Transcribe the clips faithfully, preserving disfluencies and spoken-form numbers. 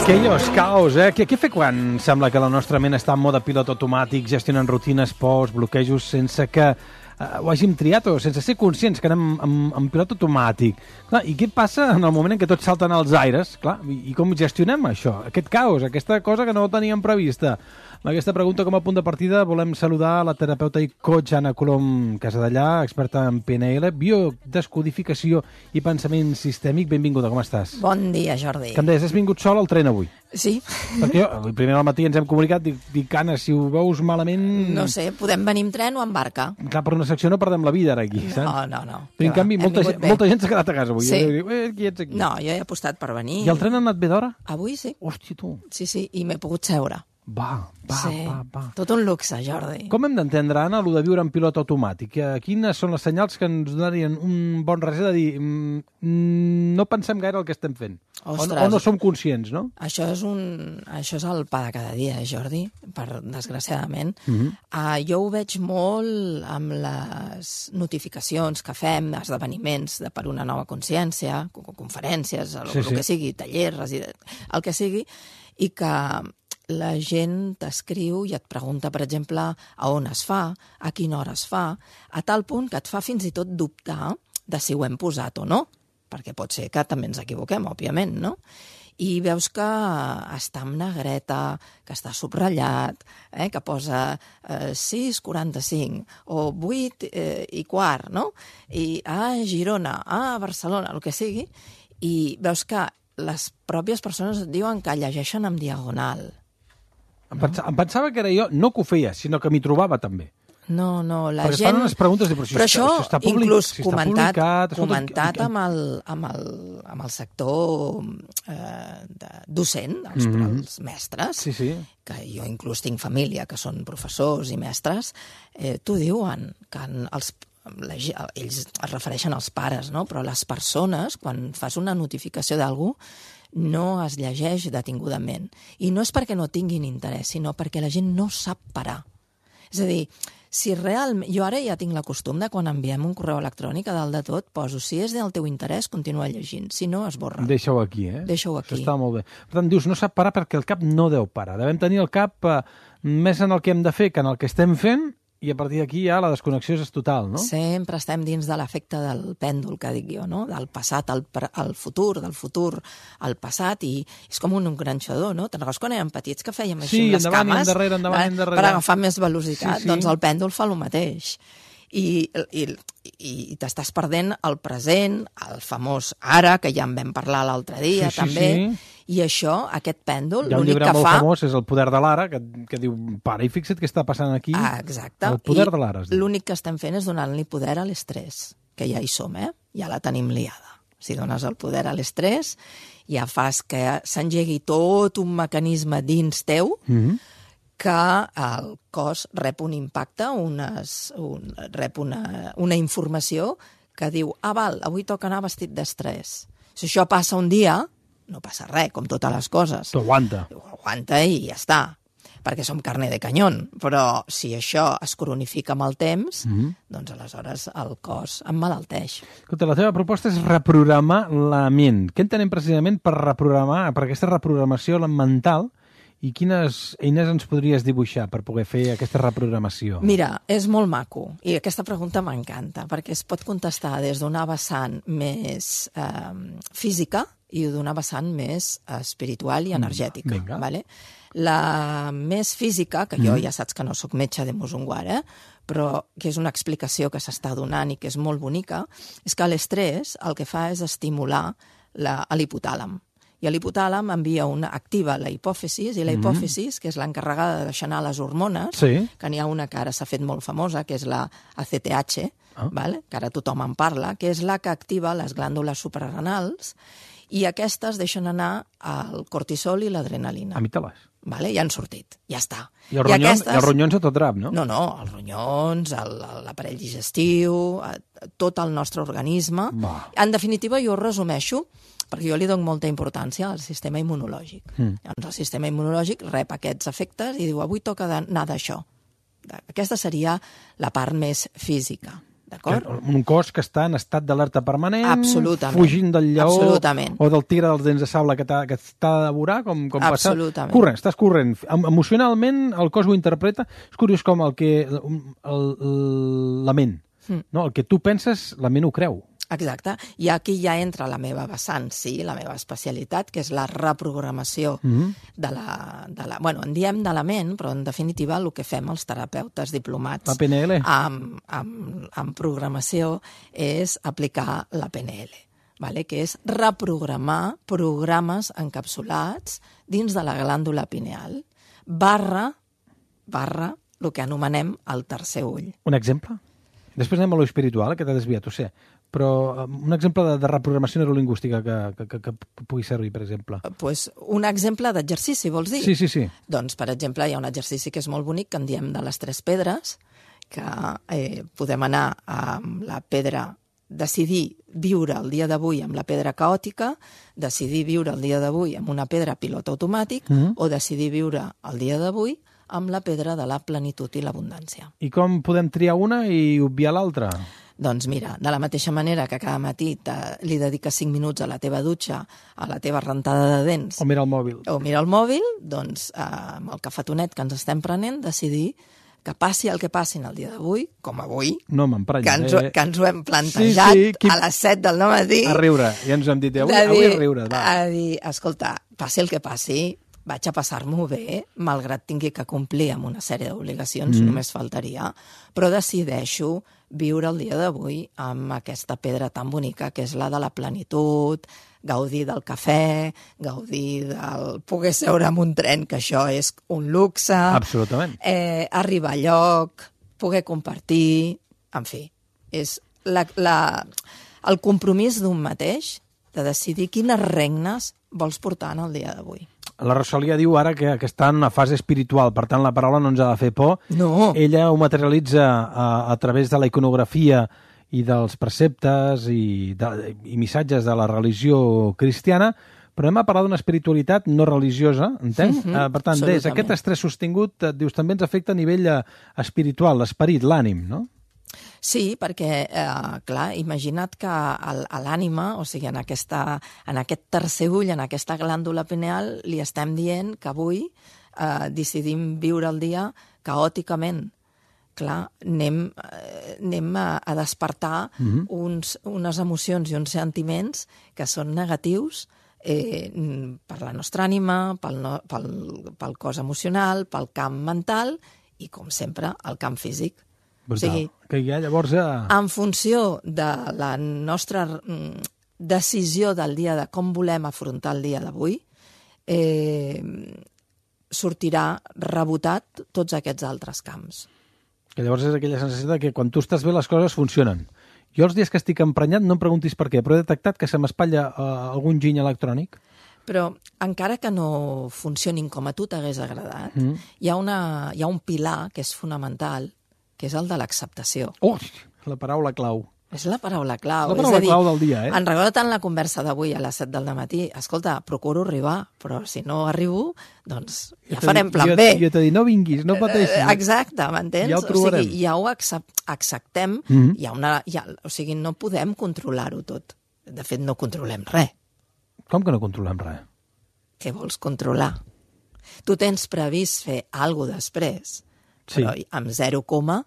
Chaos, caos, eh? Què, què fer quan sembla que la nostra ment està en mode pilot automàtic, gestionant rutines, pors, bloquejos, sense que eh, ho hàgim triat o sense ser conscients que anem en, en pilot automàtic? Clar, i què passa en el moment en què tots salten als aires? Clar, i, i com gestionem això? Aquest caos, aquesta cosa que no teníem prevista. Amb aquesta pregunta com a punt de partida volem saludar la terapeuta i coach Anna Colom Casadellà, experta en P N L, biodescodificació i pensament sistèmic. Benvinguda, com estàs? Bon dia, Jordi. Que em deies, has vingut sol al tren avui? Sí. Perquè jo, primer al matí ens hem comunicat, dic, dic Anna, si ho veus malament... No sé, podem venir amb tren o amb barca. Clar, per una secció no perdem la vida ara aquí, saps? No, no, no. Però en canvi, molta, gent, molta gent s'ha quedat a casa avui. Sí. Jo dic, eh, qui ets aquí? No, jo he apostat per venir. I el tren ha anat bé d'hora? Avui sí. Hòstia, tu. Sí, sí, i m'he pogut seure. Va, va, sí. va, va. Tot un luxe, Jordi. Com hem d'entendre, Anna, allò de viure en pilot automàtic? Quines són les senyals que ens donarien un bon reset de dir mm, no pensem gaire el que estem fent? Ostres, o, o no som conscients, no? Això és, un, això és el pa de cada dia, Jordi, per, desgraciadament. Mm -hmm. uh, jo ho veig molt amb les notificacions que fem d'esdeveniments de per una nova consciència, conferències, el, sí, el sí. que sigui, tallers, el que sigui, i que la gent t'escriu i et pregunta, per exemple, a on es fa, a quina hora es fa, a tal punt que et fa fins i tot dubtar de si ho hem posat o no, perquè pot ser que també ens equivoquem, òbviament, no? I veus que està amb negreta, que està subratllat, eh, que posa eh, sis quaranta-cinc o vuit eh, i quart, no? I a Girona, a Barcelona, el que sigui, i veus que les pròpies persones et diuen que llegeixen en diagonal. Em, pensava, em pensava que era jo, no que ho feia, sinó que m'hi trobava també. No, no, la Perquè gent... fan unes preguntes de, però, si però està, això, si està public, inclús si està comentat, publicat... comentat amb, el, amb, el, amb el sector eh, de, docent, els, mm -hmm. els mestres, sí, sí. que jo inclús tinc família que són professors i mestres, eh, t'ho diuen, que els, la, ells es refereixen als pares, no? Però les persones, quan fas una notificació d'algú, no es llegeix detingudament. I no és perquè no tinguin interès, sinó perquè la gent no sap parar. És a dir, si realment... Jo ara ja tinc la costum de quan enviem un correu electrònic, a dalt de tot poso, si és del teu interès, continua llegint. Si no, esborra. Deixa-ho aquí, eh? Deixa-ho aquí. Això està molt bé. Per tant, dius, no sap parar perquè el cap no deu parar. Devem tenir el cap eh, més en el que hem de fer que en el que estem fent, i a partir d'aquí ja la desconnexió és total, no? Sempre estem dins de l'efecte del pèndol, que dic jo, no? Del passat al, al futur, del futur al passat, i és com un engranxador, no? Te'n recordes quan érem petits que fèiem així sí, amb les endavant, cames? Sí, endarrere, endavant, eh? endarrere. Per agafar més velocitat. Sí, sí. Doncs el pèndol fa el mateix. I, i, i t'estàs perdent el present, el famós ara, que ja en vam parlar l'altre dia, sí, sí, també, sí. I això, aquest pèndol, l'únic que fa... Hi ha un llibre molt fa... famós, és El poder de l'ara, que, que diu, para, i fixa't què està passant aquí. Ah, exacte. El poder I de l'ara. L'únic que estem fent és donar-li poder a l'estrès, que ja hi som, eh? Ja la tenim liada. Si dones el poder a l'estrès, ja fas que s'engegui tot un mecanisme dins teu, mm-hmm. que el cos rep un impacte, unes, un, rep una, una informació que diu, ah, val, avui toca anar vestit d'estrès. Si això passa un dia, no passa res, com totes les coses. T'ho aguanta. Ho aguanta i ja està, perquè som carne de canyón. Però si això es cronifica amb el temps, mm-hmm. doncs aleshores el cos emmalalteix. Escolta, la teva proposta és reprogramar la ment. Què entenem precisament per reprogramar, per aquesta reprogramació mental, i quines eines ens podries dibuixar per poder fer aquesta reprogramació? Mira, és molt maco, i aquesta pregunta m'encanta, perquè es pot contestar des d'una vessant més eh, física i d'una vessant més espiritual i energètica. Mm, vale? La més física, que jo mm. ja saps que no sóc metge de Musunguar, eh? Però que és una explicació que s'està donant i que és molt bonica, és que l'estrès el que fa és estimular l'hipotàlam. I l'hipotàlam envia una, activa la hipòfisis, i la hipòfisis, que és l'encarregada de deixar anar les hormones, sí. que n'hi ha una que ara s'ha fet molt famosa, que és la A C T H, ah. vale? Que ara tothom en parla, que és la que activa les glàndules suprarrenals, i aquestes deixen anar el cortisol i l'adrenalina. Amígdales. Vale? Ja han sortit, ja està. I els ronyons, aquestes... els ronyons a tot drap, no? No, no, els ronyons, l'aparell digestiu, tot el nostre organisme. Va. En definitiva, jo ho resumeixo, perquè jo li dono molta importància al sistema immunològic. Mm. Llavors, el sistema immunològic rep aquests efectes i diu, avui toca anar d'això. Aquesta seria la part més física D'acord? Un cos que està en estat d'alerta permanent, Absolutament. fugint del lleó Absolutament. o del tigre dels dents de sable que t'ha que t'ha de devorar, com, com passa. Absolutament. Corrent, estàs corrent. Em- Emocionalment el cos ho interpreta. És curiós com el que... El, el, la ment. Mm. No? El que tu penses, la ment ho creu. Exacte. I aquí ja entra la meva vessant, sí, la meva especialitat, que és la reprogramació Mhm. de la... De la bueno, en diem de la ment, però en definitiva el que fem els terapeutes diplomats La P N L. amb, amb, amb programació és aplicar la P N L, vale? Que és reprogramar programes encapsulats dins de la glàndula pineal, barra, barra, el que anomenem el tercer ull. Un exemple? Després anem a lo espiritual, que t'ha desviat, ho sé. Però eh, un exemple de, de reprogramació neurolingüística que, que, que, que pugui servir, per exemple. Pues un exemple d'exercici, vols dir? Sí, sí, sí. Doncs, per exemple, hi ha un exercici que és molt bonic, que en diem de les tres pedres, que eh, podem anar amb la pedra, decidir viure el dia d'avui amb la pedra caòtica, decidir viure el dia d'avui amb una pedra pilot automàtic, Mhm. o decidir viure el dia d'avui amb la pedra de la plenitud i l'abundància. I com podem triar una i obviar l'altra? Doncs mira, de la mateixa manera que cada matí te, li dediques cinc minuts a la teva dutxa, a la teva rentada de dents, O mira el mòbil? o mira el mòbil, doncs eh, amb el cafetonet que ens estem prenent, decidir que passi el que passi en el dia d'avui, com avui, No que m'emprenyaré. ens, ho- que ens ho hem plantejat Sí, sí, qui- a les set del matí. A riure. Ja ens ho hem dit. Avui, de avui dir- a riure. Va. A dir, escolta, passi el que passi, vaig a passar-m'ho bé, malgrat tingui que complir amb una sèrie d'obligacions, mm. només faltaria, però decideixo viure el dia d'avui amb aquesta pedra tan bonica que és la de la plenitud, gaudir del cafè, gaudir del poder seure en un tren, que això és un luxe, Absolutament. eh, arribar a lloc, poder compartir, en fi, és la, la, el compromís d'un mateix de decidir quines regnes vols portar en el dia d'avui. La Rosalia diu ara que, que està en una fase espiritual, per tant la paraula no ens ha de fer por. No. Ella ho materialitza a, a través de la iconografia i dels preceptes i, de, i missatges de la religió cristiana, però hem a parlar d'una espiritualitat no religiosa, entens? Mhm, uh, per tant, des absolutament. aquest estrès sostingut, et dius, també ens afecta a nivell eh, espiritual, l'esperit, l'ànim, no? Sí, perquè, eh, clar, imagina't que el- a l'ànima, o sigui, en, aquesta, en aquest tercer ull, en aquesta glàndula pineal, li estem dient que avui eh, decidim viure el dia caòticament. Clar, anem, eh, anem a, a despertar Mhm. uns, unes emocions i uns sentiments que són negatius eh, per la nostra ànima, pel, no, pel, pel cos emocional, pel camp mental i, com sempre, el camp físic. Brutal. O sigui, que ja llavors... Eh... en funció de la nostra mm, decisió del dia, de com volem afrontar el dia d'avui, eh, sortirà rebotat tots aquests altres camps. Que llavors és aquella sensació de que quan tu estàs bé les coses funcionen. Jo els dies que estic emprenyat no em preguntis per què, però he detectat que se m'espatlla uh, algun giny electrònic. Però encara que no funcionin com a tu t'hagués agradat, Mm. hi, ha una, hi ha un pilar que és fonamental, que és el de l'acceptació. Oh, la paraula clau. És la paraula clau. La paraula és a dir, clau del dia, eh? En recordo tant la conversa d'avui a les set del matí. Escolta, procuro arribar, però si no arribo, doncs ja t'he farem dit- plan jo, B. Jo t'he dit, no vinguis, no pateixis. Eh, Exacte, m'entens? Ja ho trobarem. O sigui, ja ho accep acceptem, Mhm. hi ha una, hi ha, o sigui, no podem controlar-ho tot. De fet, no controlem res. Com que no controlem res? Què vols controlar? Tu tens previst fer alguna cosa després, Sí. però amb zero coma,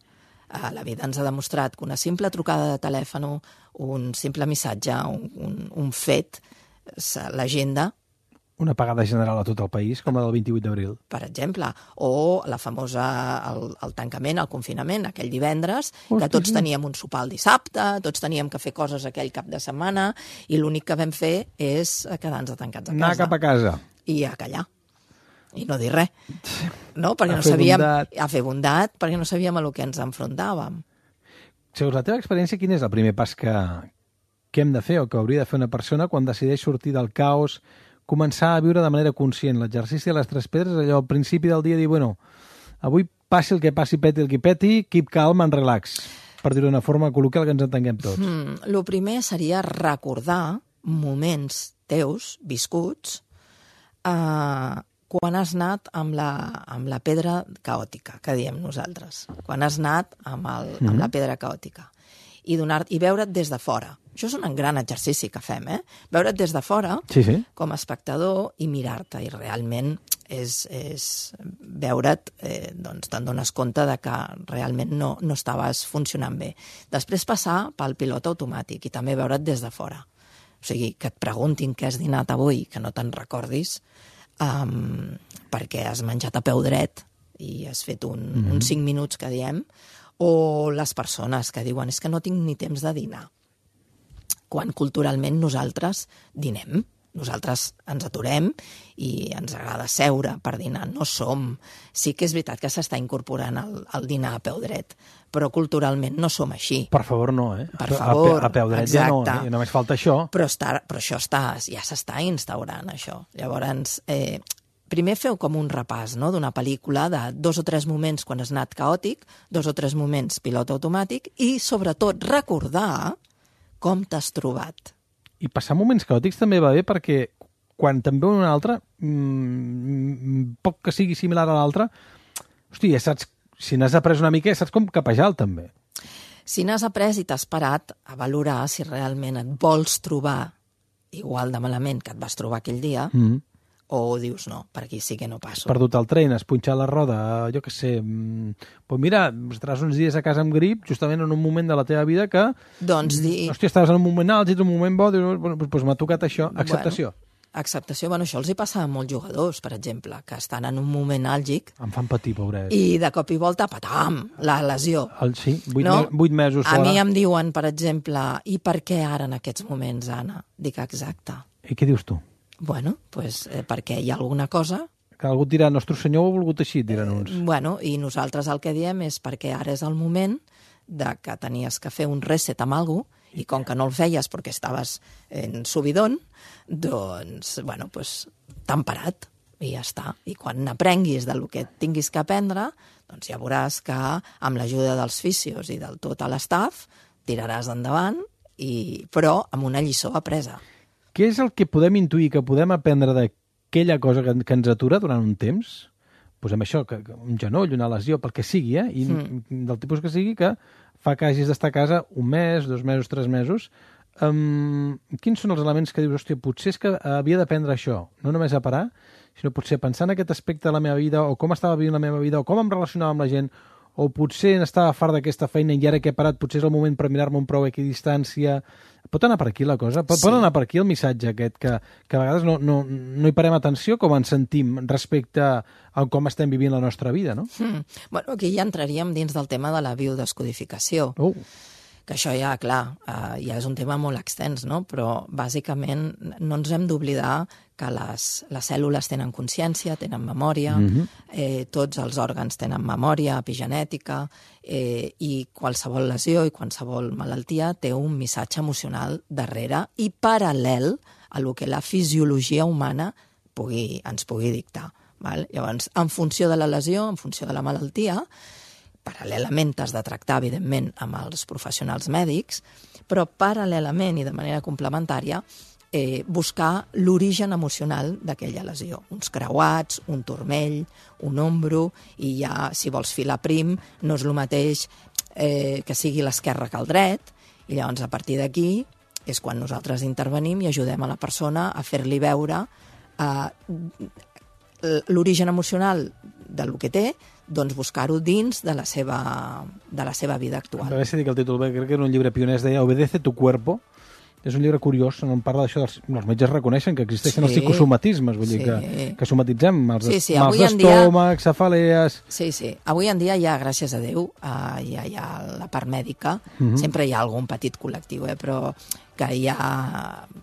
eh, la vida ens ha demostrat que una simple trucada de telèfon, un simple missatge, un, un, un fet, se- l'agenda, Una apagada general a tot el país, com la del vint-i-vuit d'abril. per exemple, o la famosa, el, el tancament, el confinament, aquell divendres, Hosti, que tots sí. teníem un sopar el dissabte, tots teníem que fer coses aquell cap de setmana, i l'únic que vam fer és quedar-nos tancats a casa. Anar cap a casa. I a callar. I no dir res. No? Perquè A no fer sabíem... bondat. A fer bondat, perquè no sabíem a lo que ens enfrontàvem. Segons la teva experiència, quin és el primer pas que, que hem de fer o que hauria de fer una persona quan decideix sortir del caos, començar a viure de manera conscient? L'exercici de les tres pedres, allò al principi del dia, dir, bueno, avui passi el que passi, peti el que peti, keep calm and relax, per dir-ho d'una forma col·loquial que ens entenguem tots. Mm, lo primer seria recordar moments teus, viscuts, eh, quan has anat amb la, amb la pedra caòtica, que diem nosaltres. Quan has anat amb, el, amb la pedra caòtica. i, donar, i veure't des de fora. Això és un gran exercici que fem, eh? Veure't des de fora, sí, sí. com a espectador, i mirar-te, i realment és, és veure't, eh, doncs te'n dones compte de que realment no, no estaves funcionant bé. Després passar pel pilot automàtic i també veure't des de fora. O sigui, que et preguntin què has dinat avui, que no te'n recordis, um, perquè has menjat a peu dret i has fet un, mm-hmm. uns cinc minuts que diem, o les persones que diuen és que no tinc ni temps de dinar. Quan culturalment nosaltres dinem. Nosaltres ens aturem i ens agrada seure per dinar. No som... Sí que és veritat que s'està incorporant el, el dinar a peu dret, però culturalment no som així. Per favor, no, eh? Per favor, a, a peu dret exacte. Ja no, eh? Només falta això. Però, està, però això està, ja s'està instaurant, això. Llavors, eh, primer feu com un repàs, no?, d'una pel·lícula de dos o tres moments quan has anat caòtic, dos o tres moments pilot automàtic, i sobretot recordar com t'has trobat. I passar moments caòtics també va bé perquè quan te'n veu un altre, mmm, poc que sigui similar a l'altre, hosti, ja saps, si n'has après una mica, ja saps com capejar-lo també. Si n'has après i t'has parat a valorar si realment et vols trobar igual de malament que et vas trobar aquell dia, mm-hmm. o dius, no, per aquí sí que no passo. Has perdut el tren, has punxat la roda, jo què sé... Doncs mira, estaràs uns dies a casa amb grip, justament en un moment de la teva vida que... Doncs dir... Hòstia, estaves en un moment àlgid, un moment bo, dius, bueno, doncs m'ha tocat això. Acceptació. Bueno, acceptació, bueno, això els hi passa a molts jugadors, per exemple, que estan en un moment àlgic... Em fan patir, pobrets. I de cop i volta, patam, la lesió. El, sí, vuit, no? me, vuit mesos fora. A mi em diuen, per exemple, i per què ara en aquests moments, Anna? Dic, exacte. I què dius tu? Bueno, pues, eh, perquè hi ha alguna cosa... Que algú et dirà, nostre senyor ho ha volgut així, et diran uns. Eh, bueno, i nosaltres el que diem és perquè ara és el moment de que tenies que fer un reset amb algú i com que no el feies perquè estaves en subidon, doncs, bueno, pues, t'han parat i ja està. I quan n'aprenguis del que tinguis que aprendre, doncs ja veuràs que amb l'ajuda dels fisios i del tot l'estaf tiraràs endavant, i, però amb una lliçó apresa. Què és el que podem intuir, que podem aprendre d'aquella cosa que, que ens atura durant un temps? Posem això, que, que un genoll, una lesió, pel que sigui, eh? I mm. del tipus que sigui, que fa que hagis d'estar a casa un mes, dos mesos, tres mesos. Um, quins són els elements que dius, hòstia, potser és que havia d'aprendre això, no només a parar, sinó potser pensar en aquest aspecte de la meva vida, o com estava vivint la meva vida, o com em relacionava amb la gent, o potser estava fart d'aquesta feina i ara que he parat potser és el moment per mirar-me un prou a equidistància. Pot anar per aquí la cosa? Pot, sí. pot anar per aquí el missatge aquest, que, que a vegades no, no, no hi parem atenció com ens sentim respecte a com estem vivint la nostra vida, no? Mm. Bueno, aquí ja entraríem dins del tema de la biodescodificació. Oh. Que això ja, clar, uh, ja és un tema molt extens, no? Però bàsicament no ens hem d'oblidar que les, les cèl·lules tenen consciència, tenen memòria, mm-hmm. eh, tots els òrgans tenen memòria epigenètica, eh, i qualsevol lesió i qualsevol malaltia té un missatge emocional darrere i paral·lel a lo que la fisiologia humana pugui, ens pugui dictar. Val? Llavors, en funció de la lesió, en funció de la malaltia, paral·lelament t'has de tractar, evidentment, amb els professionals mèdics, però paral·lelament i de manera complementària eh, buscar l'origen emocional d'aquella lesió. Uns creuats, un turmell, un ombro, i ja, si vols filar prim, no és el mateix eh, que sigui l'esquerre que el dret, i llavors a partir d'aquí és quan nosaltres intervenim i ajudem a la persona a fer-li veure eh, l'origen emocional del que té, doncs buscar-ho dins de la seva, de la seva vida actual. A veure si dic el títol bé, crec que era un llibre pioner, es deia Obedece tu cuerpo. És un llibre curiós, on parla d'això, dels, els metges reconeixen que existeixen sí, els psicosomatismes, vull sí. dir que, que somatitzem els, sí, sí, mals d'estómac, dia... cefalees... Sí, sí. Avui en dia ja, gràcies a Déu, uh, ja hi ha la part mèdica, uh-huh. sempre hi ha algun petit col·lectiu, eh, però que ja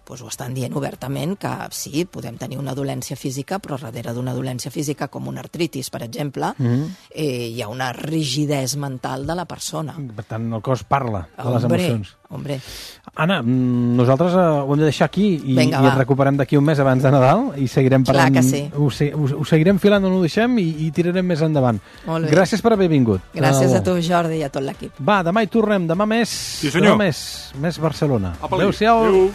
pues, ho estan dient obertament, que sí, podem tenir una dolència física, però darrere d'una dolència física, com una artritis, per exemple, uh-huh. eh, hi ha una rigidesa mental de la persona. Per tant, el cos parla de les hombre, emocions. Hombre. Anna, nosaltres ho hem de deixar aquí i, Venga, i et recuperem d'aquí un mes abans de Nadal i seguirem parlant. Clar que sí. Ho, ho, ho seguirem filant on ho deixem i, i tirarem més endavant. Gràcies per haver vingut. Gràcies a tu, Jordi, i a tot l'equip. Va, demà hi tornem. Demà més, sí, senyor. demà més, més Barcelona. Adéu-siau.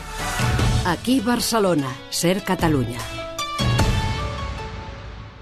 Aquí Barcelona, Ser Catalunya.